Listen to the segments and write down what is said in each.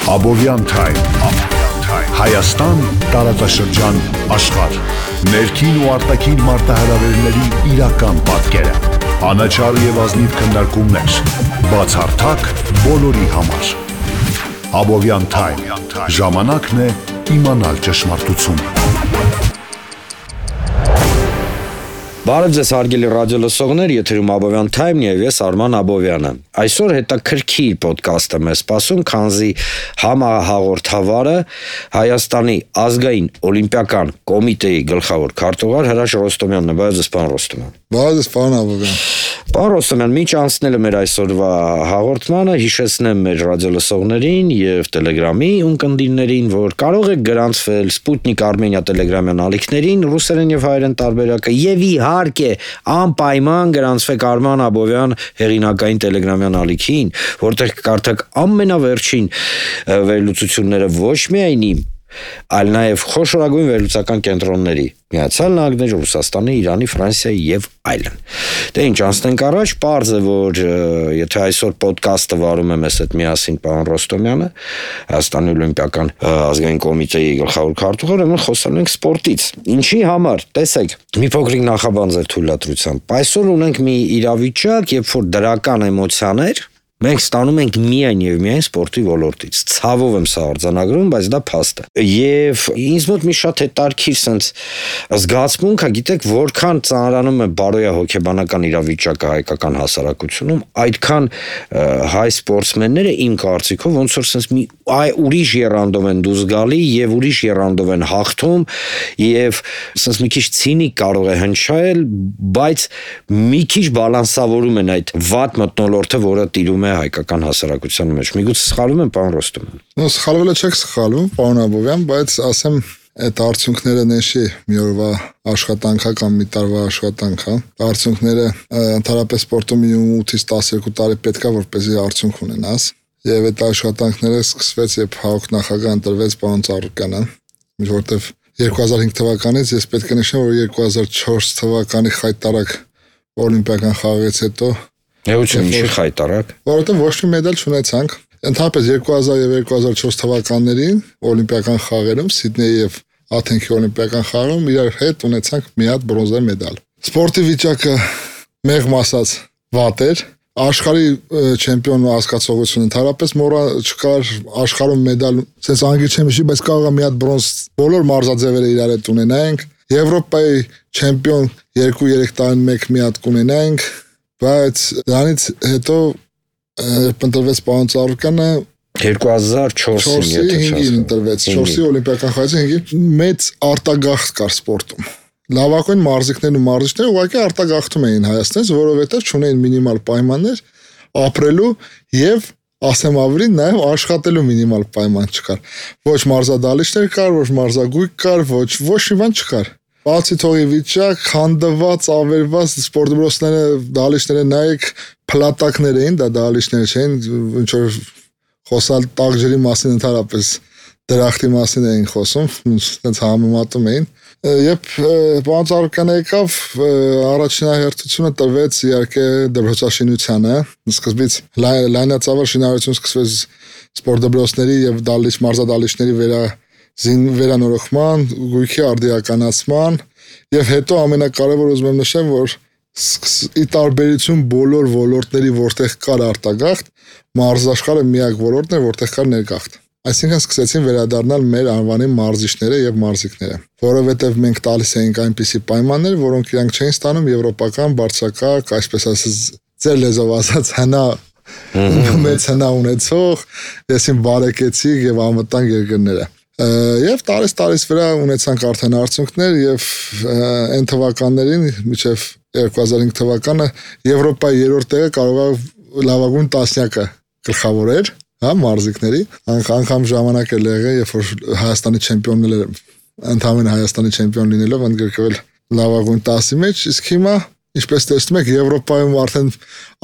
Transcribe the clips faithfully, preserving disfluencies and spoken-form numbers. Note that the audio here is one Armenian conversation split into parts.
Abovyan Time, Հայաստան, տարածաշրջան, աշխարհ, ներքին ու արտաքին մարտահրավերների իրական պատկերը, անաչառ եւ ազնիվ քննարկումներ, բացառթակ բոլորի համար։ Abovyan Time, ժամանակն է իմանալ ճշմարտությունը։ Բարև ձեզ հարգելի ռադիոլսողներ, եթերում Abovyan Time-ն եւ ես Արման Աբովյանը։ Այսօր հետաքրքիր ոդկաստ եմ սպասում, քանզի համահաղորդավարը Հայաստանի ազգային օլիմպիական կոմիտեի գլխավոր քարտուղար Հրաշ Ռոստոմյանն է, բարև ձեզ, պարոն Ռոստոմյան։ Բարև ձեզ, պարոն Աբովյան։ Պարոն Ռոստոմյան, միջ անցնելը մեր այսօրվա հաղորդմանը, հիշեցնեմ մեր ռադիոլսողներին եւ Telegram-ի ունկնդիրներին, որ կարող եք գրանցվել Sputnik Armenia Telegram-յան ալիքներին, ռուսերեն եւ հայերեն տարբերակը եւ իհարկե անպայման գրանցվեք Արման Աբովյան հեղինակային Telegram-յան ալիքին, որտեղ կարդաք ամենավերջին վերլուծությունները ոչ միայն իմ, այլ նաև խոշորագույն վերլուծական կենտրոնների, Միացյալ Նահանգների, Ռուսաստանի, Իրանի, Ֆրանսիայի եւ այլն։ Դե ինչ, անցնենք առաջ, պարզ է, որ եթե այսօր ոդկասթը վարում է մեզ հետ միասին պարոն Ռոստոմյանը, Հայաստանի օլիմպիական ազգային կոմիտեի գլխավոր քարտուղարը, մենք խոսելու ենք սպորտից։ Ինչի համար, տեսեք, մի փոքրիկ նախաբան ձեր թույլատրությամբ։ Այսօր ունենք մի իրավիճակ, երբ որ դրական էմոցիաներ մենք ստանում ենք միայն եւ միայն սպորտի ոլորտից։ Ցավով եմ սա արձանագրում, բայց դա փաստ է։ Եվ ինձ մոտ մի շատ հետարքիր sense զգացմունք է, գիտեք, որքան ծանրանում է բարոյա հոգեբանական իրավիճակը հայկական հասարակությունում, այդքան հայ սպորտսմենները իմ կարծիքով ոնց որ sense մի այ ուրիշ երանդով են դուրս գալի եւ ուրիշ երանդով են հաղթում եւ sense մի քիչ ցինիկ կարող է հնչել, բայց մի քիչ բալանսավորում են այդ վատ մթնոլորտը, որը տիրում է հայկական հասարակության մեջ։ Միգուցե սխալվում եմ, պարոն Ռոստոմյան։ Նո, սխալվել չեք սխալվում, պարոն Աբովյան, բայց ասեմ, այդ արդյունքները նշի մի օրվա աշխատանքա կամ մի տարվա աշխատանքա։ Արդյունքները ընդհանրապես սպորտում ութից տասներկու տարի պետք է որպեսզի արդյունք ունենաս։ Եվ այդ աշխատանքները սկսվեց, երբ ՀԱՕԿ նախագահ ընտրվեց պարոն Ծառուկյանը, որտեղ երկու հազար հինգ թվականից ես պետք է նշեմ, որ երկու հազար չորս թվականի խայտարակ օլիմպիական խաղից հետո Եվություն չի խայտարակ, որովհետև ոչ մի մեդալ չունեցանք։ Ընդհանրապես երկու հազար եւ երկու հազար չորս թվականներին օլիմպիական խաղերում Սիդնեյի եւ Աթենքի օլիմպիական խաղերում իրար հետ ունեցանք մի հատ բրոնզե մեդալ։ Սպորտի վիճակը մեղմ ասած վատ էր։ Աշխարհի չեմպիոն հասկացողություն ընդհանրապես մոռա չկար, աշխարհում մեդալ, ասես անգլի չեմ հիշի, բայց կարող է մի հատ բրոնզ բոլոր մարզաձևերը իրար հետ ունենայինք։ Եվրոպայի չեմպիոն երկու երեք տարին մեկ մի հատ կունենայինք, բայց դրանից հետո ընտրվեց պարոն Ծառուկյանը երկու հազար չորսին ընտրվեց, չորսի օլիմպիական խաղացին մեծ արտագաղթ կար սպորտում։ Լավագույն մարզիկներն ու մարզիչները ուղղակի արտագաղթում էին Հայաստանից, որովհետև չունեին մինիմալ պայմաններ ապրելու եւ ասեմ ավելի նաեւ աշխատելու մինիմալ պայման չկար։ Ոչ մարզադալիչներ կար, ոչ մարզագույք կար, ոչ ոչ մի բան չկար։ Բացի թողի վիճակ, հանդված, ավերված սպորտբրոսները, դալիչները նայեք, փլատակներ էին, դա դալիչներ չէին, ինչ որ խոսալ տաղջերի մասին ընդհանրապես դրախտի մասին էին խոսում, այնց համեմատում էին։ Երբ պարոն Ծառուկյանը եկավ, առաջնահերթությունը տրվեց իհարկե դպրոցաշինությանը, սկզբից լայնածավալ շինարարություն սկսվեց սպորտ դպրոցների եւ դալիչ մարզադալիչների վերա զին վերանորոգման, գույքի արդիականացման եւ հետո ամենակարևորը ուզում եմ նշեմ, որ ի տարբերություն բոլոր ոլորտների, որտեղ կար արտագաղթ, մարզաշխարհը միակ ոլորտն է, որտեղ կար ներգաղթ։ Այսինքն սկսեցին վերադառնալ մեր անվանի մարզիչները եւ մարզիկները, որովհետեւ մենք տալիս էինք այնպիսի պայմաններ, որոնք իրանք չէին ստանում եվրոպական բարձրակարգ, այսպես ասած, ձեր լեզվով ասած հնա մեծ հնա ունեցող, եսին բարեկեցիկ եւ անվտանգ երկրները։ Եվ տարես տարես վրա ունեցանք արդեն արդյունքներ եւ այն թվականներին մինչեւ երկու հազար հինգ թվականը Եվրոպայի երրորդ տեղը կարող է լավագույն տասնյակը գլխավորել, հա, մարզիկների, անգամ ժամանակ էր եղել, երբ որ Հայաստանի չեմպիոններ ընդհանրապես Հայաստանի չեմպիոն լինելով ընդգրկվել լավագույն տասի մեջ, իսկ հիմա ինչպես տեսնում եք Եվրոպայում արդեն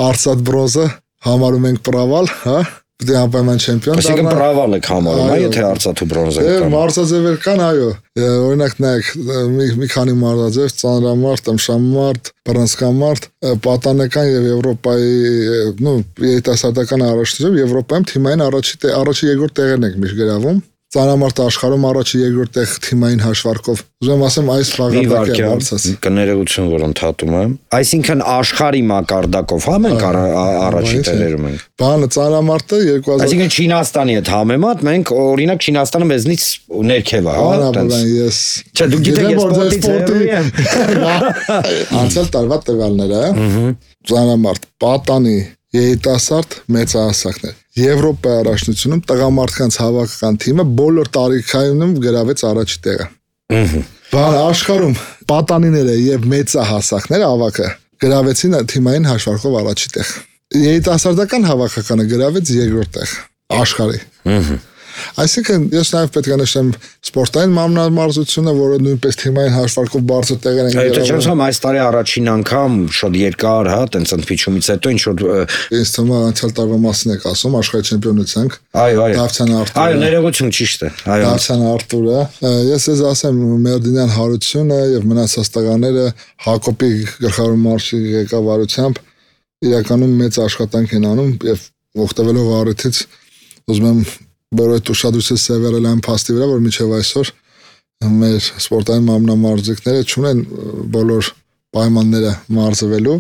արծաթ բրոնզը համարում ենք պրավալ, հա, Պետք է անպայման չեմպիոն դառնա։ Այսինքն պրավալ եք համարում, այո, եթե արծաթ ու բրոնզա կան։ կան։ Մարզաձևեր կան, այո։ Օրինակ նայեք, մի մի քանի մարզաձև՝ ծանրամարտ, ըմշամարտ, բռնցքամարտ, պատանեկան եւ Եվրոպայի, նո, երիտասարդական առաջնություն Եվրոպայում թիմային առաջի առաջի երկրորդ տեղերն ենք միշտ գրավում։ Ծանրամարտ աշխարհում առաջի երկրորդ տեղ թիմային հաշվարկով։ Ուզում ասեմ այս բաղադրակը բարձած։ Կներողություն, որ ընդհատում եմ։ Այսինքն աշխարհի մակարդակով հա մենք առաջի տեղերում ենք։ Բանը ծանրամարտը երկու հազար Այսինքն Չինաստանի հետ համեմատ մենք օրինակ Չինաստանը մեզնից ներքև է, հա։ Բանը ես Չէ, դու գիտեք ես սպորտի եմ։ Անցյալ տարվա տվյալները, ծանրամարտ, պատանի, երիտասարդ մեծահասակներ։ Եվրոպայի առաջնությունում տղամարդկանց հավաքական թիմը բոլոր տարիքայինում գրավեց առաջի տեղը։ Բան աշխարհում պատանիները եւ մեծահասակները ավակը գրավեցին թիմային հաշվարկով առաջի տեղ։ Երիտասարդական հավաքականը գրավեց երկրորդ տեղ աշխարհի։ Այսինքն ես նաև պետք է նշեմ սպորտային մարմնամարզությունը, որը նույնպես թիմային հաշվարկով բարձր տեղեր են գրավում։ Այդ չեմ այս տարի առաջին անգամ շատ երկար, հա, տենց ընդփիչումից հետո ինչ որ ինձ թվում է անցյալ տարվա մասին եք ասում, աշխարհի չեմպիոնից ենք։ Այո, այո։ Դավթյան Արտուրը։ Այո, ներողություն, ճիշտ է։ Այո։ Դավթյան Արտուրը։ Ես ես ասեմ Մերդինյան Հարությունը եւ մնացած տղաները Հակոբի գլխավոր մարշի ղեկավարությամբ իրականում մեծ աշխատանք են անում եւ օգտվելով առիթից ուզում եմ բոլոր ուշադրությունը սևեռել այն փաստի վրա, որ մինչև այսօր մեր սպորտային մարմնամարզիկները չունեն բոլոր պայմանները մարզվելու։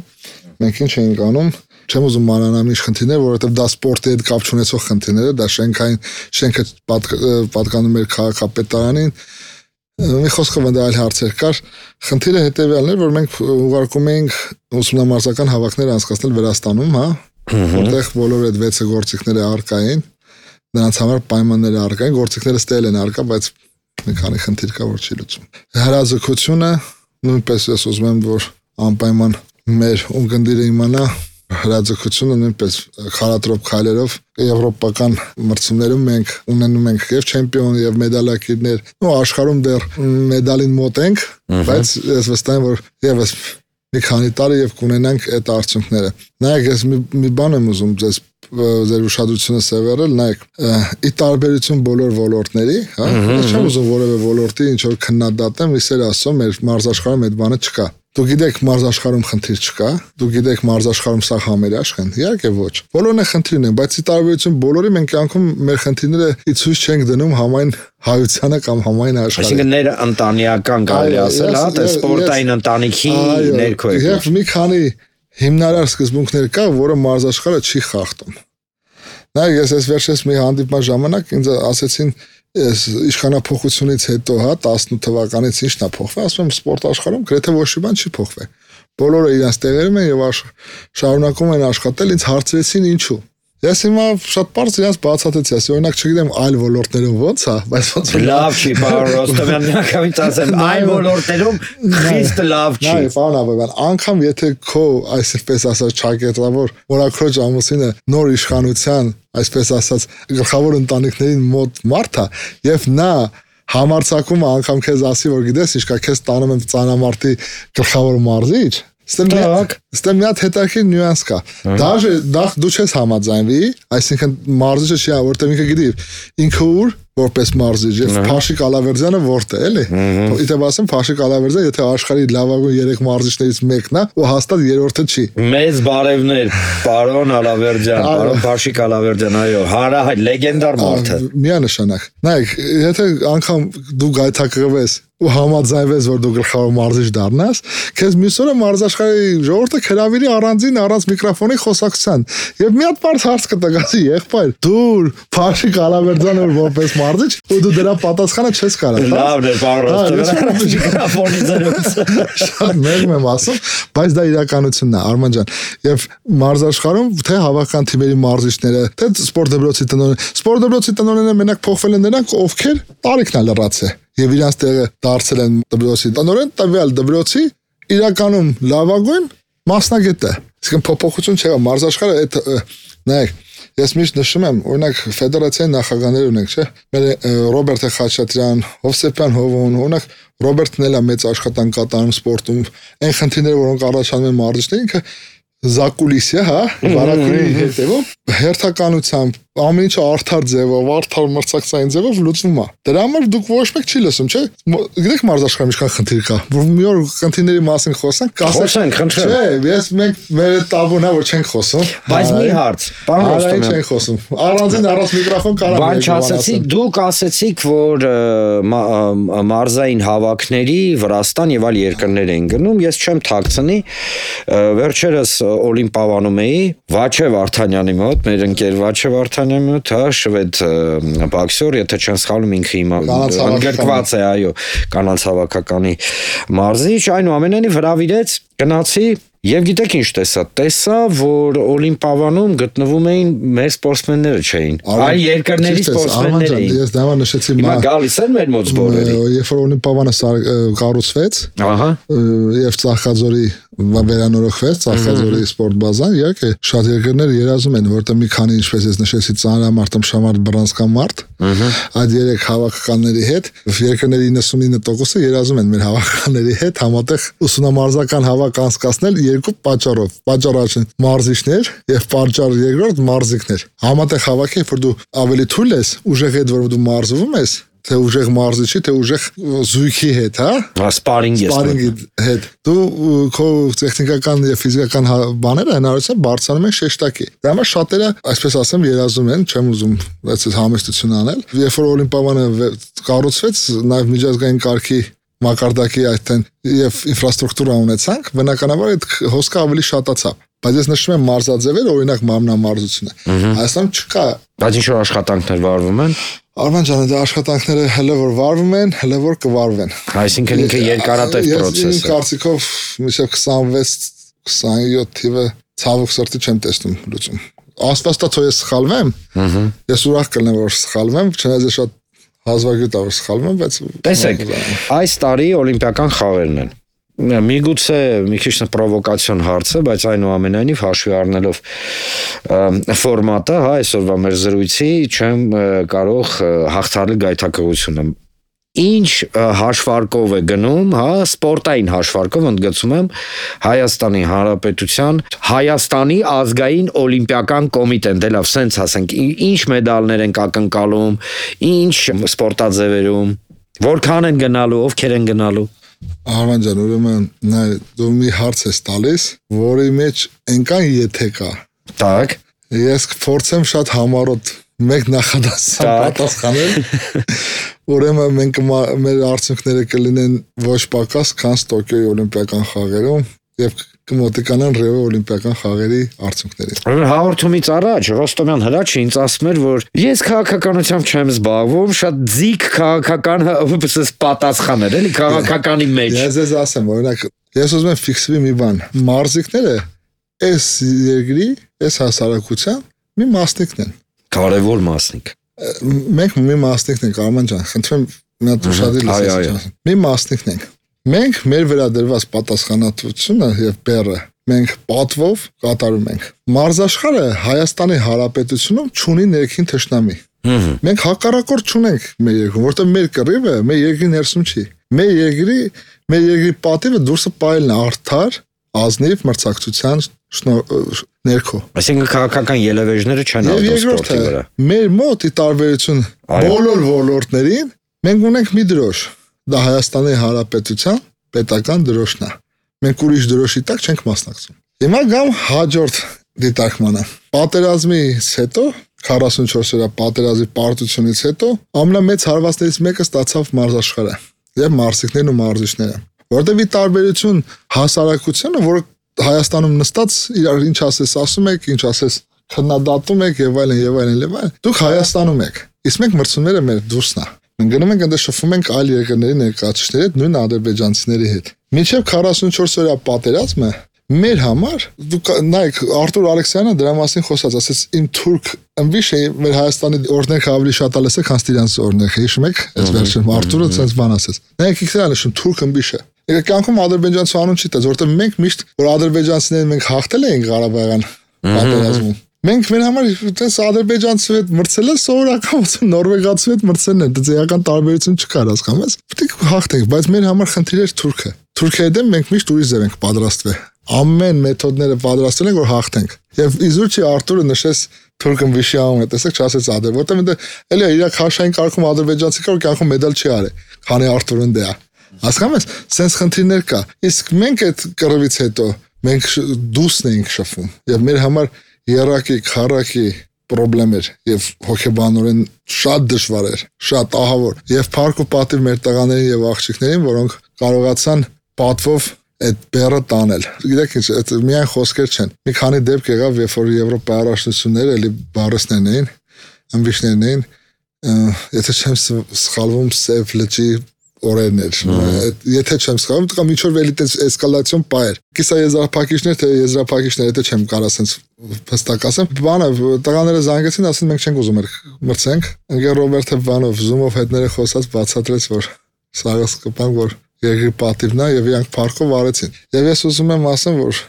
Մենք ինչ ենք անում, չեմ ուզում մանանալ ինչ խնդիրներ, որովհետև դա սպորտի հետ կապ չունեցող խնդիրներ է, դա շենքային շենքը պատկանում էր քաղաքապետարանին։ Մի խոսքով դա այլ հարցեր կար։ Խնդիրը հետևյալն էր, որ մենք ուղարկում էինք ուսումնամարզական հավաքներ անցկացնել Վրաստանում, հա, որտեղ բոլոր այդ վեցը գործիքները առկա էին։ Նրանց համար պայմանները առկա են, գործիքները ստել են առկա, բայց մի քանի խնդիր կա, որ չի լուծում։ Հրաձգությունը նույնպես ես ուզում եմ, որ անպայման մեր ունկնդիրը իմանա հրաձգությունը նույնպես խարատրոփ քայլերով եվրոպական մրցումներում մենք ունենում ենք եւ չեմպիոն եւ մեդալակիրներ, ու աշխարհում դեռ մեդալին մոտ ենք, բայց ես վստահ եմ, որ եւս մի քանի տարի եւ կունենանք այդ արդյունքները։ Նայեք, ես մի, մի բան եմ ուզում ձեզ ձեր ուշադրությունը սևեռել, նայեք, ի տարբերություն բոլոր ոլորտների, հա, ես չեմ ուզում որևէ ոլորտի ինչ որ քննադատեմ, իսեր ասում, մեր մարզաշխարհում այդ բանը չկա։ Դու գիտեք մարզաշխարհում խնդիր չկա, դու գիտեք մարզաշխարհում սա համերաշխ են, իհարկե ոչ։ Բոլորն է խնդիրն են, բայց ի տարբերություն բոլորի մենք անկում մեր խնդիրները ի ցույց չենք դնում համայն հայությանը կամ համայն աշխարհին։ Այսինքն ներ ընտանեկան կարելի ասել, հա, թե սպորտային ընտանիքի ներքո է։ Եվ մի քանի հիմնարար սկզբունքներ կա, որը մարզաշխարհը չի խախտում։ Նայեք, ես ես վերջերս մի հանդիպման ժամանակ ինձ ասեցին, ես իշխանափոխությունից հետո, հա, տասնութ թվականից ինչն է փոխվել, ասում եմ սպորտ աշխարհում գրեթե ոչ մի բան չի փոխվել։ Բոլորը իրենց տեղերում են եւ շարունակում են աշխատել, ինձ հարցրեցին ինչու։ Ես հիմա շատ բարձր իրենց բացատրեցի, ասի օրինակ չգիտեմ այլ ոլորտներում ոնց է, բայց ոնց է։ Լավ չի, պարոն Ռոստովյան, միանգամից ասեմ, այլ ոլորտներում խիստ լավ չի։ Նայ, պարոն Աբովյան, անգամ եթե քո այսպես ասած ճակատավոր մորաքրոջ ամուսինը նոր իշխանության, այսպես ասած, գլխավոր ընտանիքներին մոտ մարդ է, եւ նա համարցակումը անգամ քեզ ասի, որ գիտես, իշքա քեզ տանում եմ ծանամարտի գլխավոր մարզիչ, ստե մի հատ հետաքրքիր նյուանս կա։ Դաժե դա դու չես համաձայնվի, այսինքն մարզիչը չի, որտեղ ինքը գիտի ինքը ուր որպես մարզիչ եւ Փաշիկ Ալավերդյանը որտե էլի։ Իդեպ ասեմ Փաշիկ Ալավերդյանը եթե աշխարհի լավագույն երեք մարզիչներից մեկն է, ու հաստատ երրորդը չի։ Մեծ բարևներ, պարոն Ալավերդյան, պարոն Փաշիկ Ալավերդյան, այո, հարահայտ լեգենդար մարդ է։ Միանշանակ։ Նայեք, եթե անգամ դու գայթակղվես ու համաձայնվես, որ դու գլխավոր մարզիչ դառնաս, քեզ մյուս օրը մարզաշխարհի ժողովուրդը քրավիրի առանձին առանց միկրոֆոնի խոսակցության։ Եվ մի հատ բարձ հարց կտակասի, եղբայր, դու Փաշիկ Ալավերդյանը որպես մարզիչ ու դու դրա պատասխանը չես կարող։ Լավն է, պարոն Ռոստովյան, միկրոֆոնի ձեռքից։ Շատ մեղմ եմ ասում, բայց դա իրականությունն է, Արման ջան։ Եվ մարզաշխարհում թե հավաքական թիմերի մարզիչները, թե սպորտ դպրոցի տնօրեն, սպորտ դպրոցի տնօրենները մենակ փոխվել են նրանք, ովքեր տարիքն է լրացել եւ իրանց տեղը դարձել են դպրոցի տնօրեն, տվյալ դպրոցի իրականում լավագույն մասնագետ է։ Իսկ փոփոխություն չէ, մարզաշխարհը այդ նայեք, ես միշտ նշում եմ, օրինակ ֆեդերացիայի նախագահներ ունենք, չէ՞։ Մեր Ռոբերտ Խաչատրյան, Հովսեփյան Հովոն, օրինակ Ռոբերտն էլ է մեծ աշխատանք կատարում սպորտում։ Այն խնդիրները, որոնք առաջանում են մարզիչներին, ինքը զակուլիսիա, հա, վարակույրի հետևով հերթականությամբ ամեն ինչը արդար ձևով, արդար մրցակցային ձևով լուծվում է։ Դրա համար դուք ոչ մեկ չի լսում, չէ՞։ Գիտեք մարզաշխարհում ինչքան խնդիր կա։ Որ մի օր խնդիրների մասին խոսանք, Խոսենք, խնդրեմ։ Չէ, ես մենք մեր տաբուն է որ չենք խոսում։ Բայց մի հարց, պարոն Ռոստոմյան, չենք խոսում։ Առանձին առանց միկրոֆոն կարող բան չասեցիք, դուք ասեցիք, որ մարզային հավաքների Վրաստան եւ այլ երկրներ են գնում, ես չեմ թաքցնի, վերջերս Օլիմպիադանում էի Վաչե Վարդանյանի մոտ, մեր ընկեր Վաչե Վարդանյանի մոտ, հա, շվեդ բոքսեր, եթե չեմ սխալվում, ինքը հիմա ընդգրկված է, այո, կանանց հավաքականի մարզիչ, այնուամենայնիվ հրավիրեց, գնացի Եվ գիտեք ինչ տեսա, տեսա, որ Օլիմպիադանում գտնվում էին մեր սպորտսմենները չէին, այլ երկրների սպորտսմեններ էին։ Ես դա նշեցի, հիմա գալիս են մեր մոտ սպորտերը։ Երբ որ Օլիմպիադանը կառուցվեց, ահա, եւ Ծաղկաձորի վերանորոգվեց Ծաղկաձորի սպորտ բազան, իհարկե շատ երկրներ երազում են, որտեղ մի քանի ինչպես ես նշեցի, ծանրամարտ, ըմբշամարտ, բռնցքամարտ, այդ երեք հավաքականների հետ երկրների իննսունինը տոկոսը երազում են մեր հավաքականների հետ համատեղ ուսումնամարզական հավաք անցկացնել երկու պատճառով։ Պատճառ առաջին մարզիչներ եւ պատճառ երկրորդ մարզիկներ։ Համատեղ հավաքի, որ դու ավելի թույլ ես, ուժեղ հետ որ դու մարզվում ես, թե ուժեղ մարզիչի, թե ուժեղ զույգի հետ, հա? Սպարինգի հետ։ Դու քո տեխնիկական եւ ֆիզիկական բաները հնարավորության բարձրանում են շեշտակի։ Դա համար շատերը, այսպես ասեմ, երազում են, չեմ ուզում այդպես համեստություն անել։ Երբ որ Օլիմպիադանը կառուցվեց, նաեւ միջազգային կարգի մակարդակի այդտեն եւ ինֆրաստրուկտուրա ունեցանք, բնականաբար այդ հոսքը ավելի շատացավ։ Բայց ես նշում եմ մարզաձևեր, օրինակ մարմնամարզությունը։ Հայաստանում չկա։ Բայց ինչ որ աշխատանքներ վարվում են։ Արման ջան, դա աշխատանքները հələ որ վարվում են, հələ որ կվարվեն։ Այսինքն ինքը երկարատև process է։ Ես կարծիքով մինչև քսանվեց քսանյոթ թիվը ցավոք սրտի չեմ տեսնում լուծում։ Աստվածտա թող ես սխալվեմ։ Ես ուրախ կլինեմ որ սխալվեմ, չնայած ես շատ հազվագյուտ ավոր սխալվում եմ, բայց տեսեք, այս տարի օլիմպիական խաղերն են։ Միգուցե մի քիչ պրովոկացիոն հարց է, բայց այնուամենայնիվ հաշվի առնելով ֆորմատը, հա, այսօրվա մեր զրույցի չեմ կարող հաղթահարել գայթակղությունը։ Ինչ հաշվարկով է գնում, հա, սպորտային հաշվարկով ընդգծում եմ Հայաստանի Հանրապետության Հայաստանի ազգային օլիմպիական կոմիտեն, դե լավ, սենց ասենք, ինչ մեդալներ են ակնկալում, ինչ սպորտաձևերում, որքան են գնալու, ովքեր են գնալու։ Արման ջան, ուրեմն նայ դու մի հարց ես տալիս, որի մեջ այնքան եթե կա։ Так։ Ես կփորձեմ շատ համառոտ մեկ նախադասության պատասխանել։ Ուրեմն մենք մեր արդյունքները կլինեն ոչ պակաս, քան Տոկիոյի օլիմպիական խաղերում եւ կմոտիկանան Ռիո օլիմպիական խաղերի արդյունքներին։ Հաղորդումից առաջ Ռոստոմյան Հրաչը ինձ ասում էր, որ ես քաղաքականությամբ չեմ զբաղվում, շատ ձիգ քաղաքական պատասխան էր, էլի քաղաքականի մեջ։ Ես ես ասեմ, օրինակ, ես ուզում եմ ֆիքսվի մի բան։ Մարզիկները այս երկրի, այս հասարակության մի մասնիկն են։ Կարևոր մասնիկ։ Մենք մի մասնիկն ենք, Արման ջան, խնդրեմ մի հատ ուշադրի լսեք։ Մի մասնիկն ենք։ Մենք մեր վերադրված պատասխանատվությունը եւ բեռը մենք պատվով կատարում ենք։ Մարզաշխարհը Հայաստանի Հանրապետությունում չունի ներքին թշնամի։ Մենք հակառակորդ չունենք մեր երկրում, որտեղ մեր կռիվը մեր երկրի ներսում չի։ Մեր երկրի մեր երկրի պատիվը դուրսը պայելն է արդար, ազնիվ մրցակցության ներքո։ Այսինքն քաղաքական ելևէջները չեն արտոս սպորտի վրա։ Մեր մոտ ի տարբերություն բոլոր ոլորտներին մենք ունենք մի դրոշ։ Դա Հայաստանի Հանրապետության պետական դրոշն է։ Մենք ուրիշ դրոշի տակ չենք մասնակցում։ Հիմա գամ հաջորդ դիտարկմանը։ Պատերազմից հետո քառասունչորս օրյա պատերազմի պարտությունից հետո ամենամեծ հարվածներից մեկը ստացավ մարզաշխարհը եւ մարզիկներն ու մարզիչները, որտեղ ի տարբերություն հասարակությունը, որը Հայաստանում նստած իրար ինչ ասես ասում եք, ինչ ասես քննադատում եք եւ այլն եւ այլն եւ այլն, դուք Հայաստանում եք, իսկ մենք մրցումները մեր դուրսն է։ Մենք գնում ենք այնտեղ շփվում ենք այլ երկրների ներկայացուցիչների հետ, նույն ադրբեջանցիների հետ։ Մինչև քառասունչորս օրյա պատերազմը մեր համար, դուք նայեք, Արտուր Ալեքսյանը դրա մասին խոսած, ասաց իմ թուրք ըմբիշ է մեր Հայաստանի օրենքը ավելի շատ ալես է, քան իրանց օրենքը, հիշում եք, այս վերջում Արտուրը ցած բան ասաց։ Նայեք ինքն էլ նշում թուրք ըմբիշ է։ Եկեք կյանքում ադրբեջանցու անուն չի տա, որտեղ մենք միշտ որ ադրբեջանցիներին մենք հաղթել ենք Ղարաբաղյան պատերազմում։ Մենք մեր համար այդպես ադրբեջանցու հետ մրցելը սովորական ոնց նորվեգացու հետ մրցելն է, դա էական տարբերություն չկար, հասկանում ես։ Պետք է հաղթենք, բայց մեր համար խնդիրը թուրքը։ Թուրքիայի դեմ մենք միշտ ուրիշ ձև ենք պատրաստվել։ ամեն մեթոդները պատրաստել ենք որ հաղթենք։ Եվ իզուր չի Արտուրը նշեց թուրքն վիշի անում է, տեսեք չասեց ադր, որտեղ ինձ էլի իր քաշային կարգում ադրբեջանցի կար կյանքում մեդալ չի արել, քանի Արտուրն դե է։ Հասկանում ես, սենց խնդիրներ կա։ Իսկ մենք այդ կռվից հետո մենք դուսն էինք շփվում եւ մեր համար երակի, քարակի պրոբլեմ էր եւ հոգեբանորեն շատ դժվար էր, շատ ահավոր եւ փառք ու պատիվ մեր տղաներին եւ աղջիկներին, որոնք կարողացան պատվով այդ բերը տանել։ Գիտեք ինչ, այդ միայն խոսքեր չեն։ Մի քանի դեպք եղավ, երբ որ Եվրոպայի առաջնությունները էլի բարեսներն էին, ամբիշներն էին, եթե չեմ սխալվում, Սև լճի օրերն էր։ Եթե չեմ սխալվում, դա միջով էլի էսկալացիոն պայր։ Կիսա եզրափակիչներ, թե եզրափակիչներ, եթե չեմ կարող ասենց հստակ ասեմ, բանը տղաները զանգեցին, ասին մենք չենք ուզում մրցենք։ Ընկեր Ռոբերտը բանով Zoom-ով հետները խոսած բացատրեց, որ սաղը սկպան, որ երկրի պատիվն է եւ իրանք փառքով արեցին։ Եվ ես ուզում եմ ասեմ, որ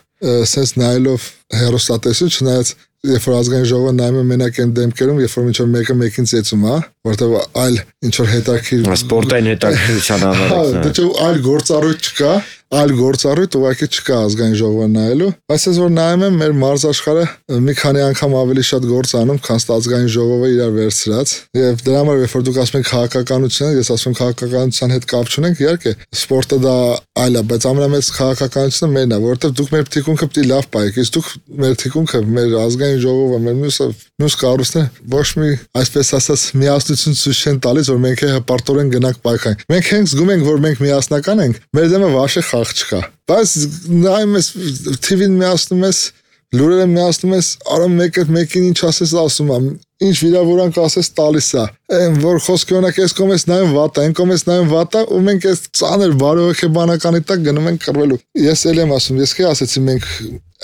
սենց նայելով հերոստատեսություն, չնայած երբ որ ազգային ժողովը նայում է մենակ այն դեմքերում, երբ որ մինչև մեկը մեկին ծեծում, հա, որտեղ այլ ինչ որ հետաքրքիր սպորտային հետաքրքրության անալիքն է։ Դե չէ այլ գործառույթ չկա, այլ գործառույթ ուղղակի չկա ազգային ժողովը նայելու, բայց ես որ նայում եմ մեր մարզաշխարհը մի քանի անգամ ավելի շատ գործ անում, քան ազգային ժողովը իրար վերցրած, եւ դրա համար երբ որ դուք ասում եք քաղաքականություն, ես ասում եմ քաղաքականության հետ կապ չունենք, իհարկե սպորտը դա այլ է, բայց ամենամեծ քաղաքականությունը մերն է, որովհետեւ դուք մեր թիկունքը պիտի լավ պայեք, իսկ դուք մեր թիկունքը, մեր ազգային ժողովը, մեր մյուսը, մյուս կառույցները ոչ մի այսպես ասած միասնություն ցույց չեն տալիս, որ մենք հպարտորեն գնանք պայքարենք։ Մենք հենց զգում ենք, որ մենք միասնական ենք, մեր դեմը վաշե խաղ չկա։ Բայց նայում ես թի վին միասնում ես, լուրերը միասնում ես, արա մեկը մեկին ինչ ասես ասում եմ, ինչ վիրավորանք ասես տալիս է։ Այն որ խոսքը օրինակ այս կողմից նայում վատա, այն կողմից նայում վատա, ու մենք այս ծանր բարոյեբանականի տակ գնում ենք կռվելու։ Ես էլ եմ ասում, ես քե ասեցի մենք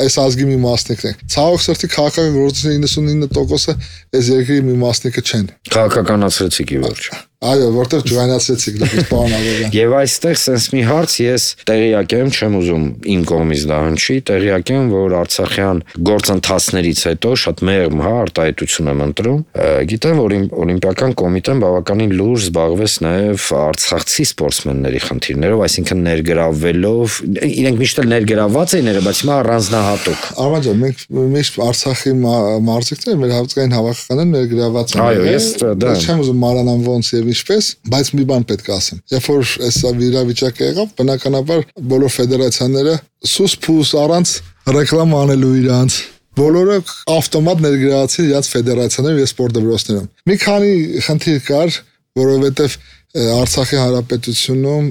այս ազգի մի մասնիկն ենք։ Ցավոք սրտի քաղաքական գործիչների իննսունինը տոկոսը այս երկրի մի մասնիկը չեն։ Քաղաքականացրեցիք ի վերջ։ Այո, որտեղ ջրանացրեցիք դեպի պարոն Աբովյան։ Եվ այստեղ sense մի հարց ես տեղյակ եմ, չեմ ուզում իմ կողմից դա հնչի, տեղյակ եմ, որ Արցախյան գործընթացներից հետո շատ մեղմ, հա, արտահայտություն եմ ընտրում։ Գիտեմ, որ Օլիմպիական կոմիտեն բավականին լուրջ զբաղվեց նաև արցախցի սպորտսմենների խնդիրներով, այսինքն ներգրավվելով, իրենք միշտ էլ ներգրավված էին, բայց հիմա առանձնահատուկ։ Արման ջան, մենք միշտ Արցախի մարզիկները մեր հավաքական հավաքականները ներգրավված են։ Այո, ես դա չեմ ուզում մանրանամ ոնց եւ ինչպես, բայց մի բան պետք է ասեմ։ Երբ որ այսա վիրավիճակը եղավ, բնականաբար բոլոր ֆեդերացիաները սուս փուս առանց ռեկլամ անելու իրանց բոլորը ավտոմատ ներգրավացին իրաց ֆեդերացիաներով եւ սպորտ դպրոցներում։ Մի քանի խնդիր կար, որովհետեւ Արցախի հանրապետությունում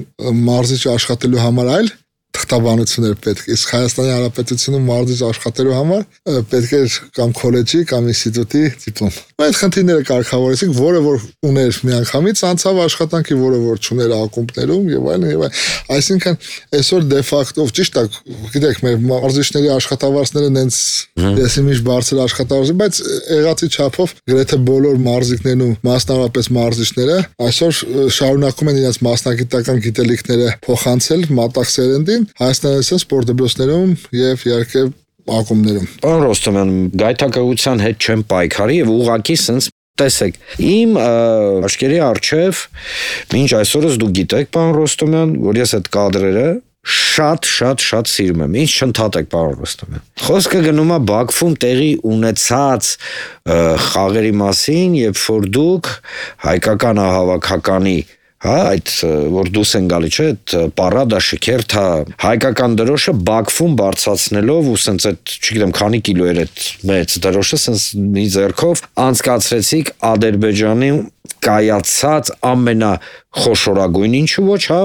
մարզիչ աշխատելու համար այլ թղթաբանություններ պետք է, իսկ Հայաստանի Հանրապետությունում մարզիչ աշխատելու համար պետք էր կամ քոլեջի կամ ինստիտուտի դիպլոմ։ Այդ խնդիրները կարգավորեցինք, որը որ ուներ միանգամից անցավ աշխատանքի, որը որ չուներ ակումբներում եւ այլն եւ այլն։ Այսինքն այսօր դե ֆակտո ճիշտ է, գիտեք, մեր մարզիչների աշխատավարձները նենց դեսի միշտ բարձր աշխատավարձ, բայց եղածի չափով գրեթե բոլոր մարզիկներն ու մասնավորապես մարզիչները այսօր շարունակում են իրենց մասնագիտական գիտելիքները փոխանցել մատաղ սերնդին Հայաստանյան սպորտ դպրոցներում եւ իհարկե ակումբներում։ Պարոն Ռոստոմյան, գայթակղության հետ չեմ պայքարի եւ ուղղակի sense տեսեք, իմ աչքերի առջև մինչ այսօրս դուք գիտեք, պարոն Ռոստոմյան, որ ես այդ կադրերը շատ շատ շատ սիրում եմ։ Ինչ չընդհատեք, պարոն Ռոստոմյան։ Խոսքը գնում է Բաքվում տեղի ունեցած խաղերի մասին, երբ որ դուք հայկական հավաքականի հա այդ որ դուս են գալի չէ այդ պարադա շքերթա հայկական դրոշը Բաքվում բարձրացնելով ու սենց այդ չգիտեմ քանի կիլո էր այդ մեծ դրոշը սենց մի ձեռքով անցկացրեցիք Ադրբեջանի կայացած ամենախոշորագույն ինչու ոչ հա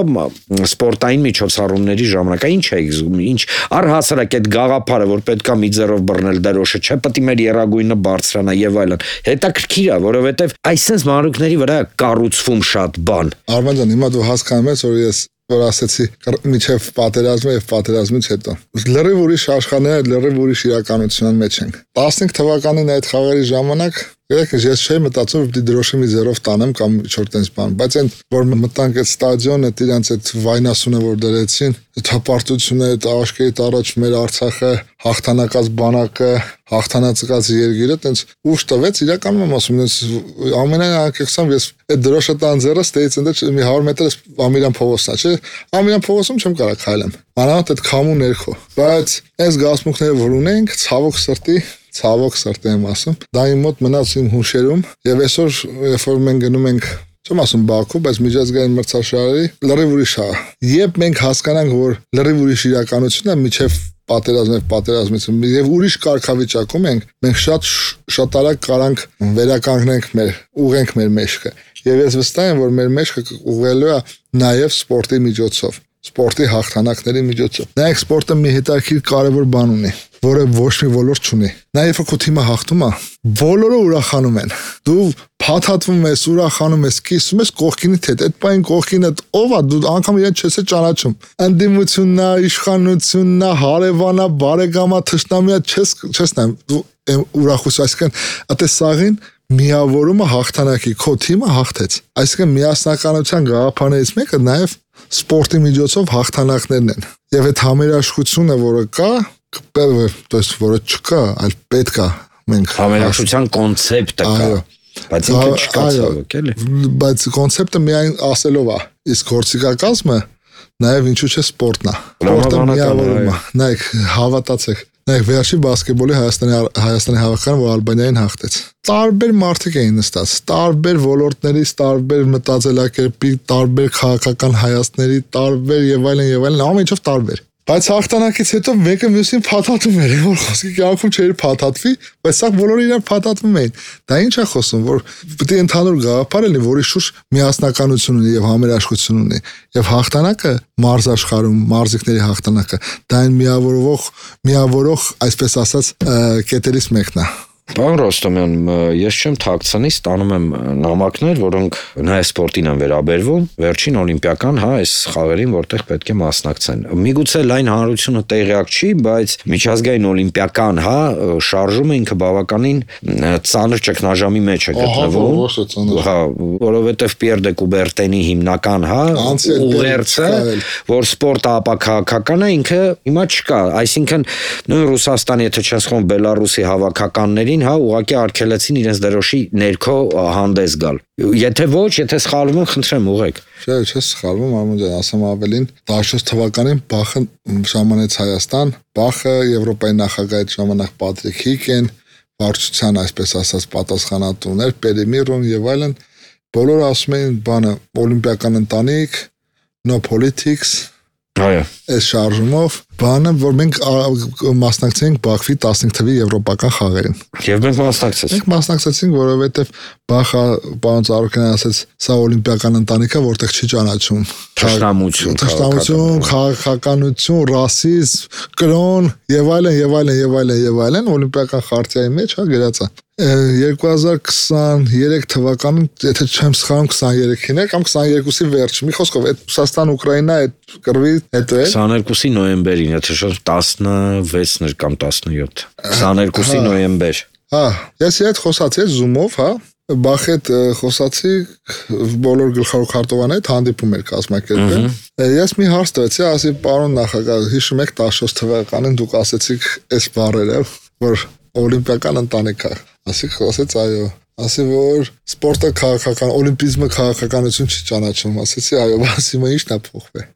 սպորտային միջոցառումների ժամանակ ինչ է ինչ առհասարակ այդ գաղափարը որ պետքա մի ձեռով բռնել դրոշը չէ պետք է մեր երագույնը բարձրանա եւ այլն հետաքրքիր է որովհետեւ այսպես մանրուքների վրա կառուցվում շատ բան Արման ջան հիմա դու հասկանում ես որ ես որ ասեցի միջև պատերազմը եւ պատերազմից հետո լրիվ ուրիշ աշխարհներ լրիվ ուրիշ իրականության մեջ ենք տասնհինգ թվականին այդ խաղերի ժամանակ Եկեք, ես չէի մտածում, որ պիտի դրոշի մի զերով տանեմ կամ ինչ-որ տենց բան, բայց այն որ մտանք այդ ստադիոնը, իրանց այդ վայնասունը որ դրեցին, հպարտությունը, այդ աշկերտ առաջ մեր Արցախը, հաղթանակած բանակը, հաղթանացած երկիրը, տենց ուշ տվեց, իրականում եմ ասում, տենց ամենայն անկեղծամ ես այդ դրոշը տան ձեռը ստեից ընդ մի հարյուր մետր Ամիրյան փողոցն է, չէ՞։ Ամիրյան փողոցում չեմ կարող քայլեմ։ Մանավանդ այդ քամու ներքո։ Բայց այս գազմունքները որ ունենք, ցավոք սրտի Ցավոք սրտի եմ ասում, դա իմ մոտ մնաց իմ հուշերում եւ այսօր երբ որ մենք գնում ենք, չեմ ասում Բաքու, բայց միջազգային մրցաշարերի լրիվ ուրիշ է։ Երբ մենք հասկանանք, որ լրիվ ուրիշ իրականությունն է, միջև պատերազմը, պատերազմից եւ ուրիշ կարգավիճակում ենք, մենք շատ շատ արագ կարանք վերականգնենք մեր, ուղենք մեր մեջքը։ Եվ ես վստահ եմ, որ մեր մեջքը ուղղելու է նաեւ սպորտի միջոցով, սպորտի հաղթանակների միջոցով։ Նայեք, սպորտը մի հետաքրքիր կարևոր բան ունի, որը ոչ մի ոլորտ չունի։ Նաև երբ քո թիմը հաղթում է, բոլորը ուրախանում են։ Դու փաթաթվում ես, ուրախանում ես, կիսում ես կողքինիդ հետ։ Այդ բան կողքինը ով է, դու անգամ իրեն չես ճանաչում։ Անդիմությունն է, իշխանությունն է, հարևանն է, բարեկամը, թշնամիա չես չես նայում։ Դու ուրախություն, այսինքն այդպես սաղին միավորումը հաղթանակի, քո թիմը հաղթեց։ Այսինքն միասնականության գաղափարներից մեկը նաև սպորտի միջոցով հաղթանակներն են։ Եվ այդ համերաշխությունը, որը կա, то есть որը չկա, այլ պետք է մենք համերաշխության կոնցեպտը կա, բայց ինքը չկա ցավոք, էլի։ Բայց կոնցեպտը միայն ասելով է, իսկ գործիքակազմը նաև ինչու՞ չէ սպորտն է։ Սպորտը միավորում է։ Նայեք, հավատացեք, նայեք վերջի բասկետբոլի Հայաստանի Հայաստանի հավաքականը, որ Ալբանիային հաղթեց։ Տարբեր մարդիկ էին նստած, տարբեր ոլորտներից, տարբեր մտածելակերպի, տարբեր քաղաքական հայացքների, տարբեր եւ այլն եւ այլն, ամեն ինչով տարբեր։ Բայց հաղթանակից հետո մեկը մյուսին փաթաթում էր, որ խոսքի կյանքում չէր փաթաթվի, բայց սա բոլորը իրար փաթաթվում էին։ Դա ինչ է խոսում, որ պետք է ընդհանուր գաղափար լինի, որի շուրջ միասնականություն ունի եւ համերաշխություն ունի։ Եվ հաղթանակը մարզաշխարհում, մարզիկների հաղթանակը, դա այն միավորող, միավորող, այսպես ասած, կետերից մեկն է։ Պարոն Ռոստոմյան, ես չեմ թաքցնի, ստանում եմ նամակներ, որոնք նաև սպորտին են վերաբերվում, վերջին օլիմպիական, հա, այս խաղերին, որտեղ պետք է մասնակցեն։ Միգուցե լայն հանրությունը տեղյակ չի, բայց միջազգային օլիմպիական, հա, շարժումը ինքը բավականին ծանր ճգնաժամի մեջ է գտնվում։ Հա, որովհետև Պիեր դե Կուբերտենի հիմնական, հա, ուղերձը, որ սպորտը ապաքաղաքական է, ինքը հիմա չկա։ Այսինքն նույն Ռուսաստանի, եթե չես խոմ Բելարուսի հավաքականների հա ուղղակի արգելեցին իրենց դրոշի ներքո հանդես գալ։ Եթե ոչ, եթե սխալվում եմ, խնդրեմ ուղեք։ Չէ, չէ սխալվում, ամեն ջան, ասեմ ավելին, տասնչորս թվականին Բախը ժամանեց Հայաստան, Բախը Եվրոպայի նախագահի ժամանակ Պատրիկ Հիկեն, վարչության այսպես ասած պատասխանատուներ, Պերիմիրոն եւ այլն, բոլորը ասում էին բանը օլիմպիական ընտանիք, no politics, այո, այս շարժումով բանը, որ մենք մասնակցենք Բաքվի տասնհինգ թվականի եվրոպական խաղերին։ Եվ մենք մասնակցեցինք։ Մենք մասնակցեցինք, որովհետև Բախը պարոն Ծառուկյանն ասաց, սա օլիմպիական ընտանիք է, որտեղ չի ճանաչում թշնամություն, թշնամություն, քաղաքականություն, ռասիզմ, կրոն եւ այլն եւ այլն եւ այլն եւ այլն օլիմպիական խարտիայի մեջ հա գրած է։ երկու հազար քսաներեք թվականին, եթե չեմ սխալվում, քսաներեքին է կամ քսաներկուսի վերջ։ Մի խոսքով, այդ Ռուսաստան-Ուկրաինա այդ կռվի հետո է։ քսաներկուսի նոյեմբերին, եթե շուտ տասնվեցն կամ տասնյոթ։ քսաներկուսի նոյեմբեր։ Հա, ես իդ խոսացի Zoom-ով, հա, Բախի հետ խոսացի բոլոր գլխավոր քարտուղաների հետ հանդիպում էր կազմակերպել։ Ես մի հարց տվեցի, ասի պարոն նախագահ, հիշում եք տասնչորս թվականին դուք ասեցիք այս բառերը, որ օլիմպիական ընտանիք է։ Ասի խոսեց այո։ Ասի որ սպորտը քաղաքական, օլիմպիզմը քաղաքականություն չի ճանաչում։ Ասեցի այո, ասի մա ի՞նչն է փոխվել։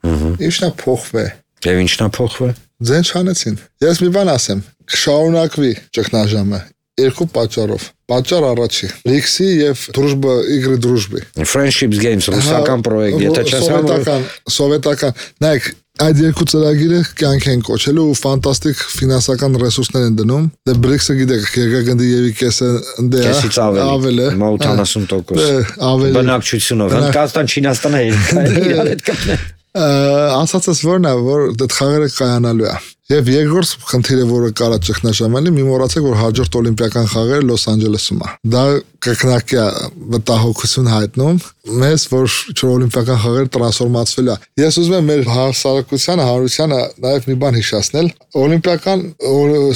Ի՞նչն է փոխվել։ Եվ ի՞նչն է փոխվել։ Ձեն չանեցին։ Ես մի բան ասեմ, կշարունակվի ճգնաժամը երկու պատճառով։ Պատճառ առաջի, Ռիքսի եւ Դրուժբա Իգրի Դրուժբի։ Friendships Games, ռուսական պրոյեկտ, եթե չես սովետական, սովետական։ Նայեք, այդ երկու ծրագիրը կյանք են կոչելու ու ֆանտաստիկ ֆինանսական ռեսուրսներ են դնում։ Դե բրիքսը գիտեք, Գերգագնդի եւի կեսը ընդ է, ավել է, ութանասուն տոկոս։ Բնակչությունով, Հնդկաստան, Չինաստանը իրար հետ կապն է։ Ասածս որն է, որ այդ խաղերը կայանալու է։ Եվ երկրորդ խնդիրը, որը կարա ճգնաժամանի, մի մոռացեք, որ հաջորդ օլիմպիական խաղերը Լոս Անջելեսում է։ Դա կրկնակի վտահոգություն հայտնում մեզ, որ օլիմպիական խաղերը տրանսֆորմացվել է։ Ես ուզում եմ մեր հասարակությանը, հանրությանը նաև մի բան հիշեցնել։ Օլիմպիական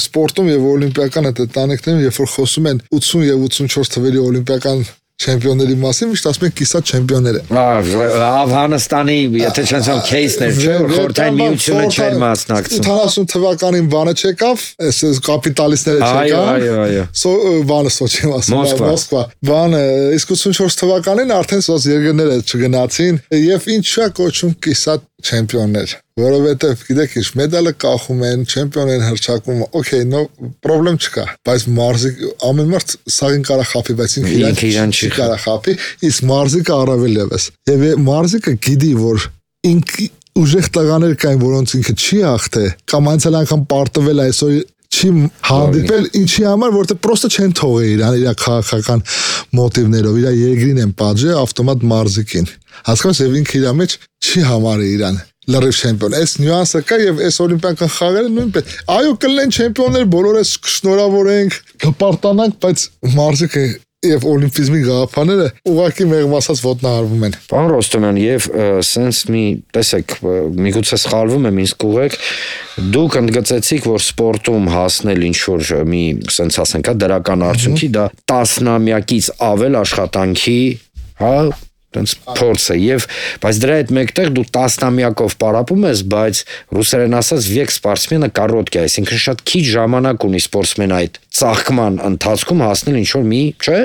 սպորտում եւ օլիմպիական ընտանիքներում, երբ որ խոսում են ութսուն եւ ութսունչորս թվերի օլիմպիական չեմպիոնների մասին, միշտ ասում են կիսատ չեմպիոններ են։ Աֆղանստանի, եթե չնայած քեյսներ, չէ, որ խորհրդային միությունը չէր մասնակցում։ ութանասուն թվականին բանը չեկավ, այս կապիտալիստները չեկան։ Այո, այո, այո։ Բանը Սոչի մասը, Մոսկվա։ Բանը իսկ ութսունչորս թվականին արդեն սոց երկրները չգնացին եւ ինչա կոչում կիսատ չեմպիոններ, որովհետեւ գիտեք ինչ, մեդալը կախում են, չեմպիոն են հռչակում, օքեյ, նո պրոբլեմ չկա, բայց մարզիկ ամեն մարդ սաղին կարա խափի, բայց ինքը իրան չի կարա խափի, իսկ մարզիկը առավել եւս։ Եվ մարզիկը գիտի, որ ինքը ուժեղ տղաներ կային, որոնց ինքը չի հաղթե, կամ անցյալ անգամ պարտվել այսօր չի հանդիպել, ինչի համար, որտեղ պրոստը չեն թողել իրան, իր քաղաքական մոտիվներով, իր երկրին են պատժել ավտոմատ մարզիկին։ Հասկանաս, եւ ինքը իր մեջ չի համարի իրան լրիվ չեմպիոն։ Այս նյուանսը կա եւ այս օլիմպիական խաղերը նույնպես։ Այո, կլինեն չեմպիոններ, բոլորս կշնորհավորենք, կպարտանանք, բայց մարզիկը եւ օլիմպիզմի գաղափարները ուղղակի մեղմասած ոտնահարվում են։ Պարոն Ռոստոմյան, եւ սենց մի, տեսեք, միգուցե սխալվում եմ, ինձ կուղեք, դուք ընդգծեցիք, որ սպորտում հասնել ինչ որ մի, սենց ասենք, դրական արդյունքի, դա տասնամյակից ավել աշխատանքի, հա, տենց փորձ է, եւ բայց դրա հետ մեկտեղ դու տասնամյակով պարապում ես, բայց ռուսերեն ասած վեք սպորտսմենը կորոտկա, այսինքն շատ քիչ ժամանակ ունի սպորտսմենը այդ ծաղկման ընթացքում հասնել ինչ որ մի, չէ,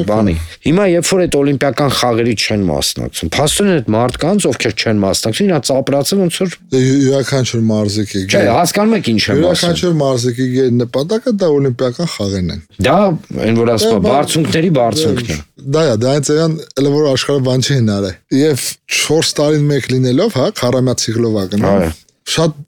բանի։ Հիմա երբ որ այդ օլիմպիական խաղերի չեն մասնակցում, փաստորեն այդ մարդկանց, ովքեր չեն մասնակցում, իրանց ապրացը ոնց որ յուրաքանչյուր մարզիկի։ Չէ, հասկանում եք ինչ եմ ասում։ Յուրաքանչյուր մարզիկի նպատակը դա օլիմպիական խաղերն են։ Դա այն որ ասում է բարձունքների բարձունքն է։ Դա է, դա այնց այն էլ որ աշխարհը բան չի հնարել։ Եվ չորս տարին մեկ լինելով, հա, քառամյա ցիկլով է գնում։ Շատ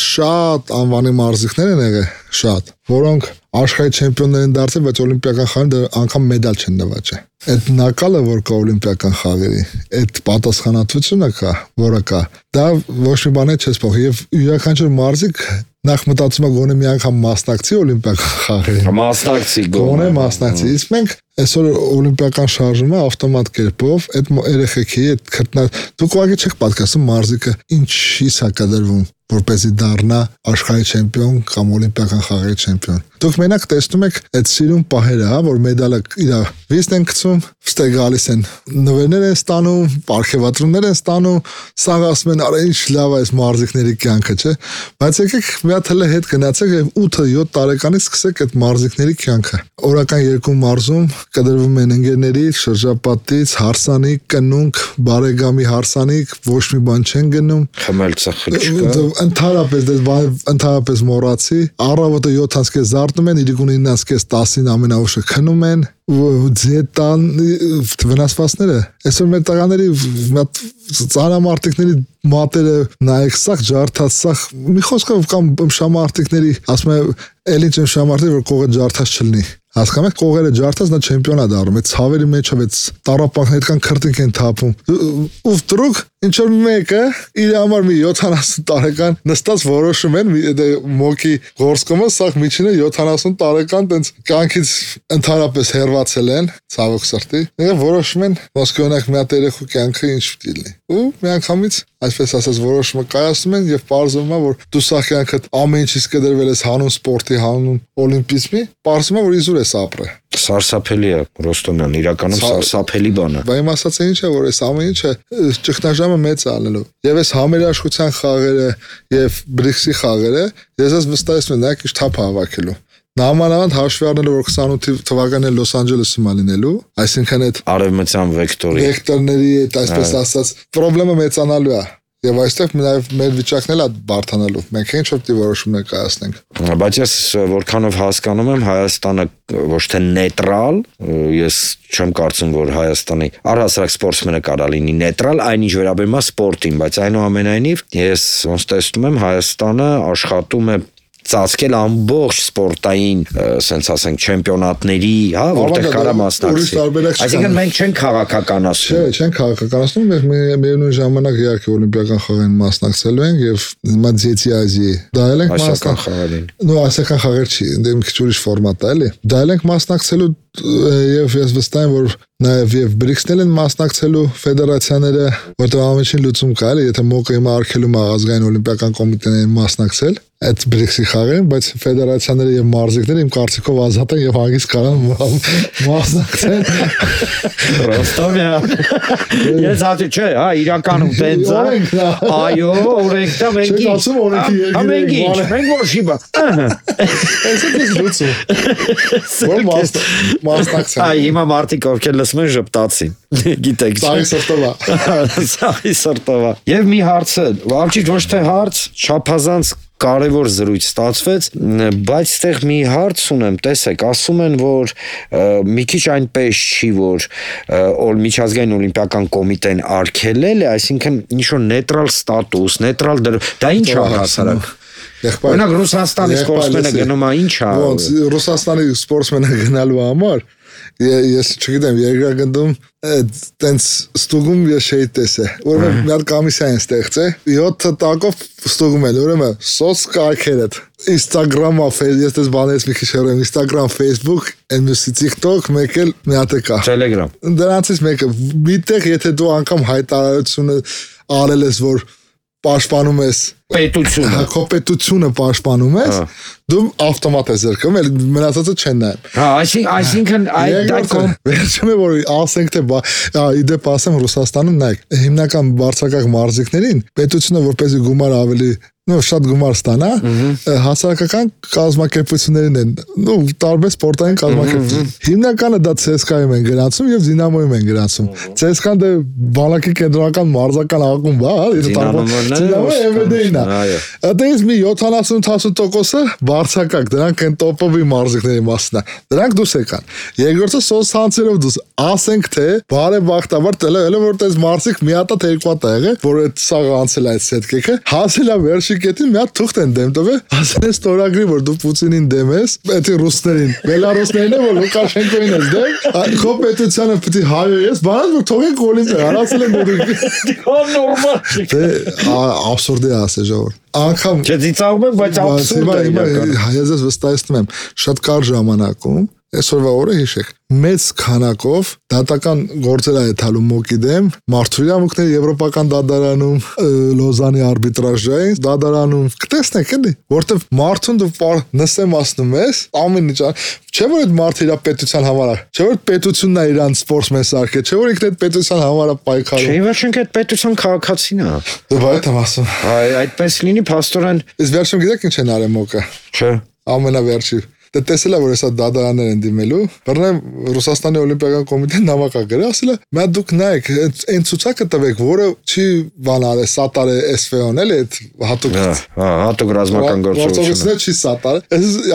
շատ անվանի մարզիկներ են եղել, շատ, որոնք աշխարհի չեմպիոններ են դարձել, բայց օլիմպիական խաղերին անգամ մեդալ չեն նվաճել։ Այդ նակալը, որ կա օլիմպիական խաղերի, այդ պատասխանատվությունը կա, որը կա, դա ոչ մի բան չես փոխի եւ յուրաքանչյուր մարզիկ նախ մտածում է գոնե մի անգամ մասնակցի օլիմպիական խաղերին։ Մասնակցի գոնե մասնակցի։ Իսկ մենք այսօր օլիմպիական շարժումը ավտոմատ կերպով այդ երեխեքի այդ քրտնա դուք ուղղակի չեք պատկասում մարզիկը ինչի՞ս է կդրվում որպեսզի դառնա աշխարհի չեմպիոն կամ օլիմպիական խաղերի չեմպիոն։ Դուք մենակ տեսնում եք այդ սիրուն պահերը, հա, որ մեդալը իր վիստ են գցում, ստե գալիս են նվերներ են ստանում, պարգևատրումներ են ստանում, սաղ ասում են, արա ինչ լավ է այս մարզիկների կյանքը, չէ՞։ Բայց եկեք մի հատ հələ հետ գնացեք եւ ութ-յոթ տարեկանից սկսեք այդ մարզիկների կյանքը։ Օրական երկու մարզում կդրվում են ընկերների շրջապատից հարսանիք, կնունք, բարեկամի հարսանիք, ոչ մի բան չեն գնում։ Խմել ծխել չկա։ Ընդհանրապես դե ընդհանրապես մոռացի, առավոտը յոթ անց զարթնում են, իրիկուն ինը անց տասին ամենաուշը քնում են, ձետան վնասվածները, այսօր մեր տղաների ծանրամարտիկների մատերը նայեք սաղ ջարդած սաղ մի խոսքով կամ շամարտիկների ասում եմ էլ ինչ շամարտիկ որ կողը ջարդած չլինի հասկանում եք կողերը ջարդած նա չեմպիոն է դառնում այդ ցավերի մեջով այդ տարապանքներ կան քրտինք են թափում ու վդրուկ ինչ որ մեկը իր համար մի յոթանասուն տարեկան նստած որոշում են մոկի գործկոմը սաղ միջինը յոթանասուն տարեկան տենց կյանքից ընդհանրապես հեռացել են ցավոք սրտի եւ որոշում են ոսկոնակ մի հատ երեխու կյանքը ինչ պիտի լինի ու մի անգամից այսպես ասած որոշումը կայացնում են եւ պարզվում է որ դու սա կյանքդ ամեն ինչից կդրվել ես հանուն սպորտի հանուն օլիմպիզմի պարզվում է որ իզուր ես ապրել Սարսափելի է Ռոստոմյան, իրականում սարսափելի բան է։ Բայց իմ ասածը ինչ է, որ այս ամեն ինչը ճգնաժամը մեծ է ալնելու։ Եվ այս համերաշխության խաղերը եւ բրիքսի խաղերը, ես ես վստահեցնում եմ, նայեք ինչ թափ հավաքելու։ Նամանավանդ հաշվի առնելով որ քսանութ թվականին Լոս Անջելեսում է լինելու, այսինքն այդ արևմտյան վեկտորի վեկտորների այդ այսպես ասած խնդրեմը մեծանալու է։ Եվ այստեղ նաև մեր վիճակն էլ է բարթանալու։ Մենք ինչ որ դի որոշումներ կայացնենք։ Բայց ես որքանով հասկանում եմ Հայաստանը ոչ թե նեյտրալ, ես չեմ կարծում որ Հայաստանի առհասարակ սպորտսմենը կարա լինի նեյտրալ, այնինչ վերաբերում է սպորտին, բայց այնուամենայնիվ ես ոնց տեսնում եմ Հայաստանը աշխատում է ծածկել ամբողջ սպորտային, ասենց ասենք, չեմպիոնատների, հա, որտեղ կարա մասնակցել։ Այսինքն մենք չենք քաղաքականացնում։ Չէ, չենք քաղաքականացնում, մենք միևնույն ժամանակ իհարկե օլիմպիական խաղերին մասնակցելու ենք եւ հիմա Ձեթի Ազիայի դայել ենք մասնակցել։ Նո, ասական խաղեր չի, դե մի քիչ ուրիշ ֆորմատ է, էլի։ Դայել ենք մասնակցելու եւ ես վստահ եմ, որ նաեւ եւ բրիքսնել են մասնակցելու ֆեդերացիաները, որտեղ ամենին լուծում կա, էլի, եթե մոկը հիմա արկելու ազգային օլիմպիական կոմիտեներին մասնակցել այդ բրիքսի խաղերին, բայց ֆեդերացիաները եւ մարզիկները իմ կարծիքով ազատ են եւ հագից կարան մասնակցել։ Ռոստովյան։ Ես ասի, չէ, հա, իրականում տենց է։ Այո, օրենքն մենք։ Չէ, ասում օրենքի երկիրը։ Մենք որ շիբա։ Այսինքն ես լուծում։ Որ մասնակցել։ Այ հիմա մարդիկ ովքեր լսում են ժպտացին։ Գիտեք։ Սաղի սրտովա։ Սաղի սրտովա։ Եվ մի հարցը, ոչ ոչ թե հարց, չափազանց կարևոր զրույց ստացվեց, բայց այդտեղ մի հարց ունեմ, տեսեք, ասում են, որ մի քիչ այնպես չի, որ միջազգային օլիմպիական կոմիտեն արգելել է, այսինքն ինչ-որ նեյտրալ ստատուս, նեյտրալ դա ինչ է հասարակ։ Օրինակ Ռուսաստանի սպորտսմենը գնում է ինչ է։ Ոնց Ռուսաստանի սպորտսմենը գնալու համար ես չգիտեմ, երկրագնդում տենց ստուգում ես չէի տեսել, ուրեմն մի հատ կոմիսիա են ստեղծել, յոթ տակով ստուգում են, ուրեմն սոց կայքերդ, Instagram-ը, ես դες բաներից մի քիչ հեռու եմ, Instagram, Facebook, մյուսի TikTok, մեկ էլ մի հատ է կա։ Telegram։ Դրանցից մեկը, միտեղ եթե դու անգամ հայտարարությունը արել ես, որ պաշտպանում ես պետությունը, հա, քո պետությունը պաշտպանում ես, դու ավտոմատ ես զրկում, էլ մնացածը չեն նայում։ Հա, այսինքն այդ այդ վերջում է որ ասենք թե իդեպ ասեմ Ռուսաստանում նայեք, հիմնական բարձրակարգ մարզիկներին պետությունը որպեսզի գումար ավելի նո շատ գումար ստանա, հասարակական կազմակերպություններին են, նո տարբեր սպորտային կազմակերպություն։ Հիմնականը դա ցե էս կայում են գրանցում եւ Դինամոյում են գրանցում։ ցե էս կան դե բանակի կենտրոնական մարզական ակումբ, հա, Դինամոյը էմ վե դե-ին է։ Այդպես մի յոթանասուն տասը տոկոսը բարձրակարգ, դրանք են տոպովի մարզիկների մասն է։ Դրանք դուս եկան։ Երկրորդը սոց ցանցերով դուս, ասենք թե բարեբախտաբար տելը որ տես մարզիկ մի հատ է երկու հատ է եղել, որ այդ սաղ անցել այդ սետկեքը, հասել է վերջի կետին մի հատ թուղթ են դեմ տվել, ասել են ստորագրի, որ դու Պուտինին դեմ ես, այդ ռուսներին, բելարուսներին է, որ Լուկաշենկոին ես դեմ, քո պետությանը պիտի հայոյես, բանալ որ թողենք օլիմպիա, ասել են որ դու նորմալ չի։ Դե աբսուրդ է ասել ժողովուրդ։ Անկամ Չէ, ծիծաղում եմ, բայց աբսուրդ է իրական։ Ես ես վստահեցնում եմ, շատ կարճ ժամանակում այսօրվա օրը հիշեք, մեծ քանակով դատական գործեր է թալու մոկի դեմ, մարդու իրավունքների եվրոպական դատարանում, Լոզանի արբիտրաժային դատարանում, կտեսնեք էլի, որտեվ մարդուն դու նստեմ ասնում ես, ամեն ինչ, չէ որ այդ մարդը իր պետության համար է, չէ որ պետությունն է իրան սպորտսմեն սարքել, չէ որ ինքն այդ պետության համար է պայքարում։ Չէ, ոչ ինքը այդ պետության քաղաքացին է։ Դու այդ եմ ասում։ Այ այդպես լինի, փաստորեն։ Իսկ վերջում գիտեք ինչ են արել մոկը։ Չէ։ Ամենավերջի Դե տեսել է որ հեսա դատարաններ են դիմելու, բռնեմ Ռուսաստանի օլիմպիական կոմիտեն նամակ ա գրել, ասել է՝ «Մա դուք նայեք, այն ցուցակը տվեք, որը չի բանալ է, սատար է էս վե օն էլի այդ հատուկ։ Հա, հատուկ ռազմական գործողությունը։ Չի սատար։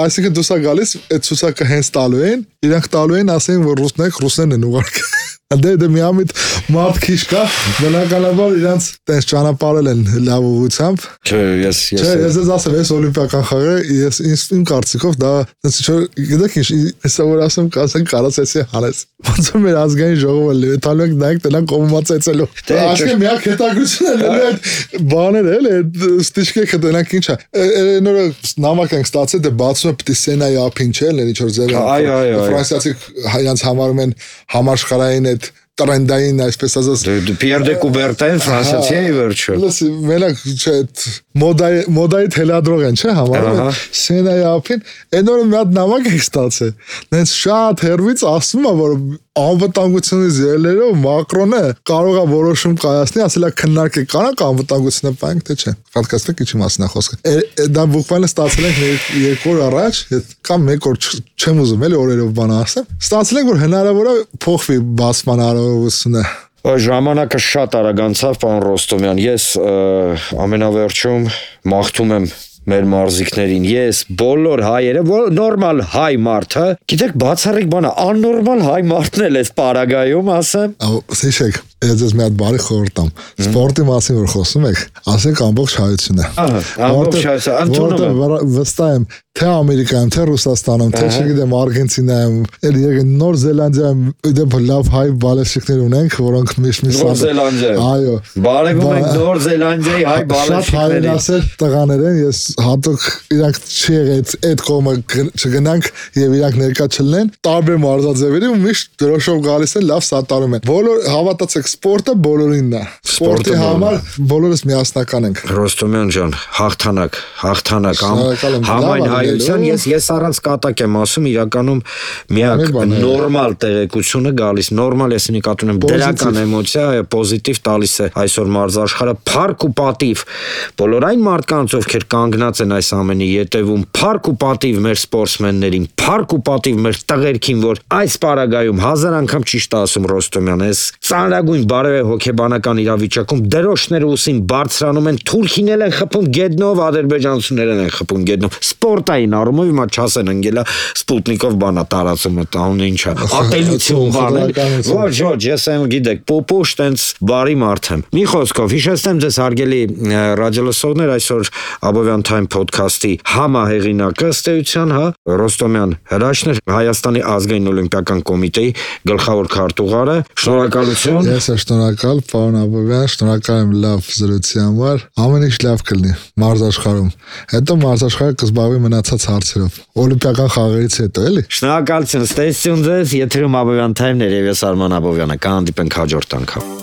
Այսինքն դուսա գալիս այդ ցուցակը հենց տալու են, իրանք տալու են, ասեն որ ռուսնեք, ռուսներն են ուղարկել։ Դե դե մի ամիտ մարդ քիչ կա, բնականաբար իրանց տես ճանապարհել են լավ ուղությամբ։ Չէ, ես ես Չէ, ես ես ասեմ, ես օլիմպիական խաղը, ես ինձ կարծիքով դա Դե գիտեք ինչ, հեսա որ ասեմ կասեն կարասեցի հանես։ Ոնց որ մեր ազգային ժողովը լեթալու ենք նայեք տնան կոմումացեցելու։ Այսինքն միակ հետաքրքրությունն է այդ բաները էլի, այդ ստիճկեքը տնանք ինչա։ Նորը նամակ ենք ստացել, դե բացում է պիտի Սենայի ափին չէ, ինչ որ ձև։ Այո, այո։ Ֆրանսիացի հայանց համարում են համաշխարհային այդ տրենդային այսպես ասած Պիեր դե Կուբերտեն ֆրանսիացի է վերջը։ Լսի, մենակ չէ, մոդայի մոդայի թելադրող են, չէ, համարում Սենայի ափին, այն օրը մի հատ նամակ է ստացել։ Նենց շատ հերվից ասում է, որ անվտանգությունից ելերով Մակրոնը կարող է որոշում կայացնի, ասել է քննարկել կանանք անվտանգությունը պայենք թե չէ։ Պատկաստեք ինչի մասն է խոսքը։ Դա բուկվալը ստացել ենք երկու օր առաջ, կամ մեկ օր չեմ ուզում էլի օրերով բան ասեմ։ Ստացել ենք որ հնարավոր է փոխվի բացման արարողությունը։ Ժամանակը շատ արագ անցավ, պարոն Ռոստոմյան, ես ամենավերջում մաղթում եմ մեր մարզիկներին, ես բոլոր հայերը, նորմալ հայ մարդը, գիտեք բացառիկ բան է, աննորմալ հայ մարդն էլ էս պարագայում ասեմ։ Ահա, հիշեք, ես ես մի հատ բարի խորհուրդ տամ։ Սպորտի մասին որ խոսում եք, ասեք ամբողջ հայությունը։ Ահա, ամբողջ հայությունը, ընդունում եմ։ Վստահ եմ, թե Ամերիկայում, թե Ռուսաստանում, թե չգիտեմ Արգենտինայում, էլ եկեք Նոր Զելանդիայում դեպի լավ հայ բալեշիկներ ունենք, որոնք միշտ մի Նոր Զելանդիայում։ Այո։ Բարևում ենք Նոր Զելանդիայի հայ բալեշիկներին։ Ասել տղաներ են, ես հատուկ իրանք չի եղել այդ կողմը չգնանք եւ իրանք ներկա չլինեն, տարբեր մարզաձևերի ու միշտ դրոշով գալիս են, լավ սատարում են։ Բոլոր հավատացեք, սպորտը բոլորինն է։ Սպորտի համար բոլորս միասնական ենք։ Ռոստոմյան ջան, հաղթանակ, հաղթանակ, համայն հայության ես ես առանց կատակ եմ ասում, իրականում միակ նորմալ տեղեկությունը գալիս, նորմալ ես նկատում եմ դրական էմոցիա, պոզիտիվ տալիս է այսօր մարզաշխարհը, փառք ու պատիվ բոլոր այն մարդկանց, ովքեր կանգնած են այս ամենի ետևում, փառք ու պատիվ մեր սպորտսմեններին, փառք ու պատիվ մեր տղերքին, որ այս պարագայում հազար անգամ ճիշտ ասում Ռոստոմյան, այս ծանրագույն բարևե հոգեբանական իրավիճակում դրոշները ուսին բարձրանում են, թուրքինել են խփում գետնով, ադրբեջանցիներն են խփում գետնով, սպորտային առումով հիմա չասեն ընկելա Սպուտնիկով բանա տարածում է, տան ինչա, ատելություն բանել, ոչ, ոչ, ես եմ գիտեք, պոպոշ տենց բարի մարդ եմ։ Մի խոսքով, հիշեցնեմ ձեզ հարգելի ռադիոլսողներ, այսօր Abovյան Time podcast-ի համահեղինակը ըստ էության, հա, Ռոստոմյան Հրաշն էր, Հայաստանի ազգային օլիմպիական կոմիտեի գլխավոր քարտուղարը։ Շնորհակալություն։ Ես եմ շնորհակալ, պարոն Abovյան, շնորհակալ եմ լավ զրույցի համար։ Ամեն ինչ լավ կլինի մարզաշխարհում։ Հետո մարզաշխարհը կզբաղվի մնացած հարցերով։ Օլիմպիական խաղերից հետո, էլի։ Շնորհակալություն, ստեսություն ձեզ, եթերում Abovյան Time-ներ եւ ես Արման Abovյանը, կհանդիպենք հաջորդ անգամ։